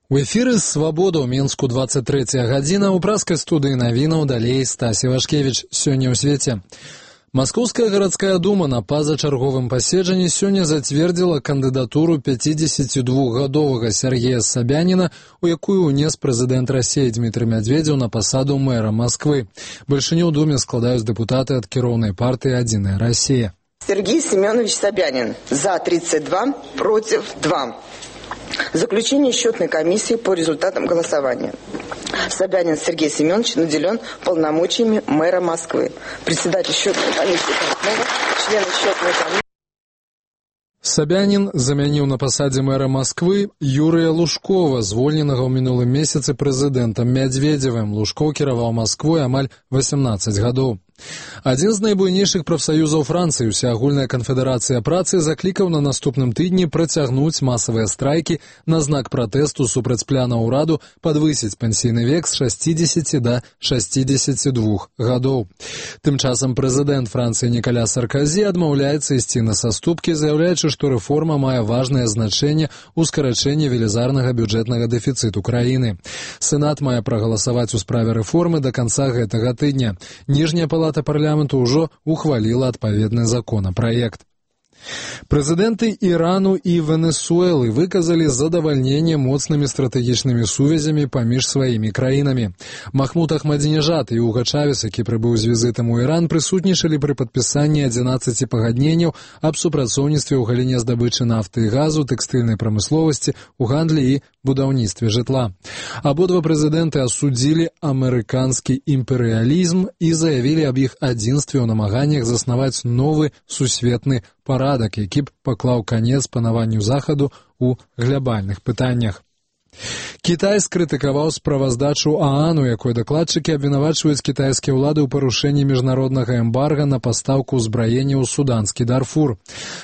У эфіры «Свабода» ў Мінску 23 гадзіна, у праскай студыі навінаў далей Стась Івашкевіч. Сёння ў свеце. Маскоўская гарадская дума на пазачарговым паседжанні сёння зацвердзіла кандыдатуру 52-гадовага Сергея Собянина, у якую ўнес прэзідэнт Расіі Дмітрый Медведзеў на пасаду мэра Москвы. Бальшыню ў думе складаюць дэпутаты ад кіроўнай партыі «Адзіная Расія». Сергей Семенович Собянин. За 32, против 2. Заключение счетной комиссии по результатам голосования. Собянин Сергей Семенович наделен полномочиями мэра Москвы. Председатель счетной комиссии Портнова, члены счетной комиссии. Собянин замяніў на пасадзе мэра Москвы Юрыя Лужкова, звольненага ў мінулым месяцы прэзідэнтам Медведзевым. Лужков кіраваў Москвой амаль 18 гадоў. Адзін з найбуйнейшых прафсаюзаў Францыі, Усеагульная канфедэрацыя працы, заклікаў на наступным тыдні працягнуць масавыя страйкі на знак пратэсту супраць пляна ўраду падвысіць пенсійны век з 60 да 62 гадоў. Тым часам прэзідэнт Францыі Нікаля Саркозі адмаўляецца ісці на саступкі, заяўляючы, што рэформа мае важнае значэнне ў скарачэнні велізарнага бюджэтнага дэфіцыту краіны. Сенат мае прагаласаваць у справе рэформы да канца гэтага тыдня. Ніжняя палата парламенту ўжо ухваліла адпаведны законапраект. Прэзідэнты Ірану і Венесуэлы выказалі задавальненне моцнымі стратэгічнымі сувязямі паміж сваімі краінамі. Махмуд Ахмадзінежад і Уга Чавес, які прыбыў з візітам у Іран, прысутнічалі пры падпісанні 11 пагадненняў аб супрацоўніцтве ў галіне здабычы нафты і газу, тэкстыльнай прамысловасці, у гандлі і будаўніцтве жытла. Абодва прэзідэнты асудзілі амерыканскі імперыялізм і заявілі аб іх адзінстве ў намаганнях заснаваць новы сусветны парадак, які б паклаў канец панаванню Захаду ў глабальных пытаннях. Кітай скрытыкаваў справаздачу ААН, у якой дакладчыкі абвінавачваюць кітайскія ўлады ў парушэнні міжнароднага эмбарга на пастаўку ўзбраення ў суданскі Дарфур.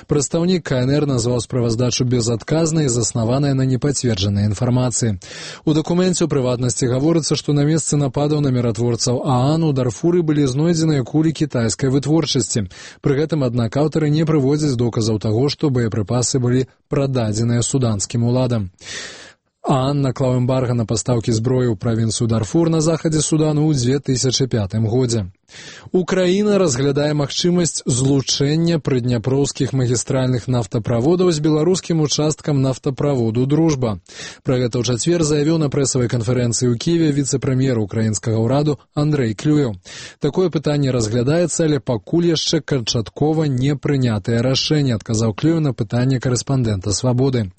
Прадстаўнік КНР назваў справаздачу безадказнай і заснаванай на непацверджанай інфармацыі. У дакуменце, у прыватнасці, гаворыцца, што на месцы нападаў на міратворцаў ААН у Дарфуры былі знойдзеныя кулі кітайскай вытворчасці. Пры гэтым, аднак, аўтары не прыводзяць доказаў таго, што боепрыпасы былі прададзеныя суданскім уладам. ААН наклаў эмбарга на пастаўкі зброі ў правінцыю Дарфур на захадзе Судану ў 2005 годзе. Украіна разглядае магчымасць злучэння прыдняпроўскіх магістральных нафтаправодаў з беларускім участкам нафтаправоду «Дружба». Пра гэта ў чацвер заявіў на прэсавай канферэнцыі ў Кіеве віцэ-прэм'ер украінскага ўраду Андрэй Клюеў. Такое пытанне разглядаецца, але пакуль яшчэ канчаткова не прынятае рашэнне, адказаў Клюеў на пытанне карэспандэнта «Свабоды».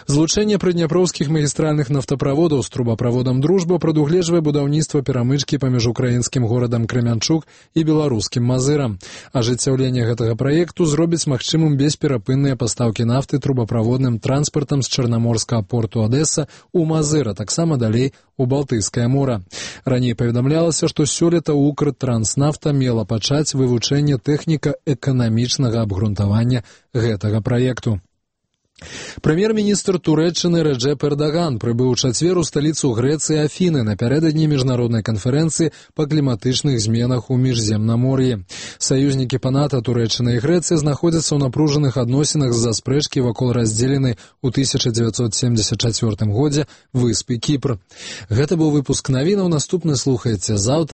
Злучэнне прыдняпроўскіх магістральных нафтаправодаў з трубаправодам «Дружба» прадугледжвае будаўніцтва перамычкі паміж украінскім горадам Крамянчук і беларускім Мазырам. Ажыццяўленне гэтага праекту зробіць магчымым бесперапынныя пастаўкі нафты трубаправодным транспартам з чарнаморскага порту Адэса ў Мазыр, а таксама далей у Балтыйскае мора. Раней паведамлялася, што сёлета Укртранснафта мела пачаць вывучэнне тэхніка-эканамічнага абгрунтавання гэтага праекту. Прэм'ер-міністр Турэччыны Рэджэп Эрдаган прыбыў у чацвер у сталіцу Грэцыі Афіны напярэдадні міжнароднай канферэнцыі па кліматычных зменах у міжземнамор'і. Саюзнікі па НАТО Турэччына і Грэцыя знаходзяцца ў напружаных адносінах з-за спрэчкі вакол раздзеленай у 1974 годзе выспы Кіпр. Гэта быў выпуск навінаў, наступны слухаеце заўтра.